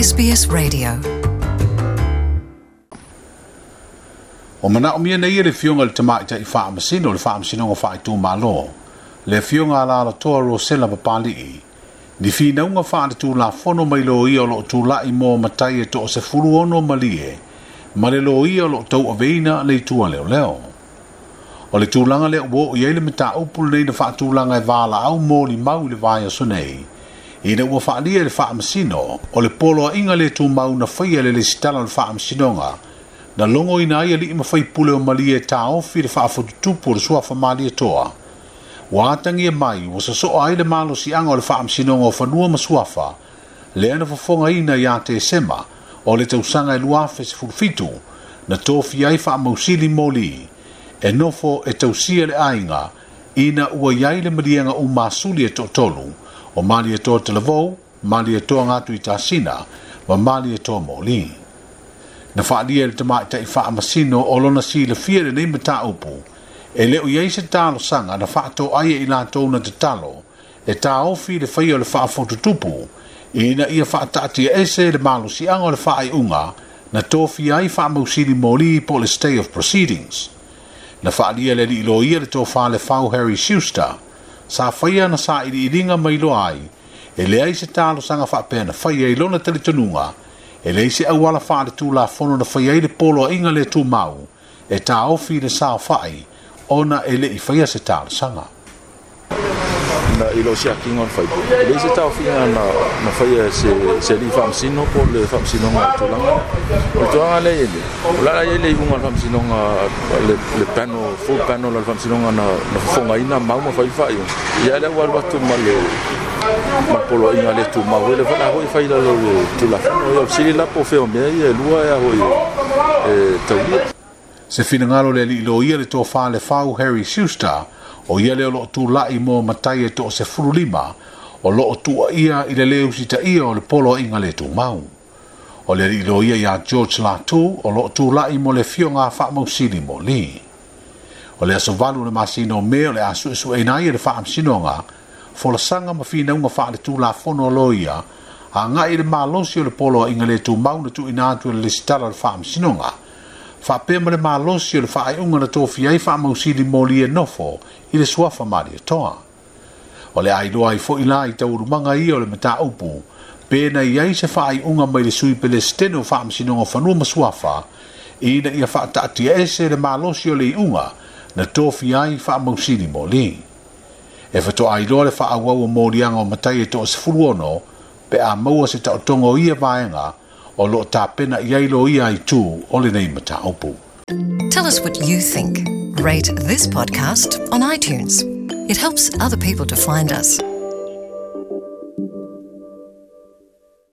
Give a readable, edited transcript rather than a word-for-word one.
SBS Radio. Ua manaomia nei e le Afioga i le Tamaitai Faamasino o le Faamasinoga Faaitumalo, le Afioga Alaalatoa Rosela Papali'i, ni finauga faaletulafono mai loia o lo o tulai mo matai e toa-16 malie ma le loia o lo o tauaveina le itu a leoleo. O le tulaga lea ua oo i ai le mataupu lenei na faatulaga e valaau molimau i le vaiaso nei, ina ua faaalia e le Faamasino o le poloaiga le tumau na faia e le Lesitala o le Faamasinoga na logoina ai alii ma faipule o Malie e taofi le faafotutupu o le suafa Malietoa. Ua atagia mai ua sosoa ai le malosiaga o le Faamasinoga o Fanua ma Suafa lea na fofogaina ia Tesema o le tausaga e 2017 na tofia ai faamausili moli e nofo e tausia le aiga ina ua i ai le maliega umasuli e toatolu o Malietoa Talavou, Malietoa Gatuitasina ma Malietoa Moli. Na faaalia e le tamaitai faamasino o lona silafia lenei mataupu e le o i ai se talosaga na faatoai e i latou na tatalo e taofi le faia o le faafotutupu ina ia faataatiaese le malosiaga o le faaiuga na tofia ai faamausili moli po o le stay of proceedings. Na faaalia e le alii loia le tofa Lefau Harry Schuster sa faia ana sailiiliga ma iloa ai e leai se talosaga faapea na faia i lona talitonuga e leai se auala faaletulafono na faia ai le poloaiga le tumau e taofi le saofai ona e le i faia se talosaga. Na i lou siakiga o le faipule, e leai se taofiga na na faia e se se alii faamasino po o le faamasinoga o le tulaga lea. O le tulaga lea e i ai nei, o le a i ai le iuga a le faamasinoga le le panel, full panel a le faamasinoga na na fofogaina mau ma fai le faaiuga, ia lea ua alu atu ma le ma le poloaiga le tumau foi lea foi la foi e fai i lalo o le Tulafono. Ia o le fesili la po o fea o mea ia e lua e a foi e taulia. Se finagalo le alii loia le tofa Lefau Harry Schuster, o ia lea o lo o tulai mo matai e toa-15 o lo o tuuaia i le lē usitaia o le poloaiga le tumau. O le alii loia ia George Latu o lo o tulai mo le afioga Faamausili Moli. O le aso 8 o le masina o Me o le a suesueina ai e le Faamasinoga folasaga ma finauga faaletulafono a loia agai i le malosi o le poloaiga le tumau na tuuina atu e le Lesitala o le Faamasinoga faapea ma le malosi o le faaiuga na tofia ai Faamausili Moli e nofo i le suafa Malietoa. O le a iloa ai foi la i taualumaga ia o le mataupu pe na i ai se faaiuga mai le Sui Pelesitene o Faamasinoga o Fanua ma Suafa ina ia faataatiaese le malosi o le iuga na tofia ai Faamausili Moli. E faatoa iloa le faaauau o moliaga o matai e toa-16 pe a maua se taotoga o ia vaega o lo o tapena i ai loia itu o lenei mataupu. Tell us what you think. Rate this podcast on iTunes. It helps other people to find us.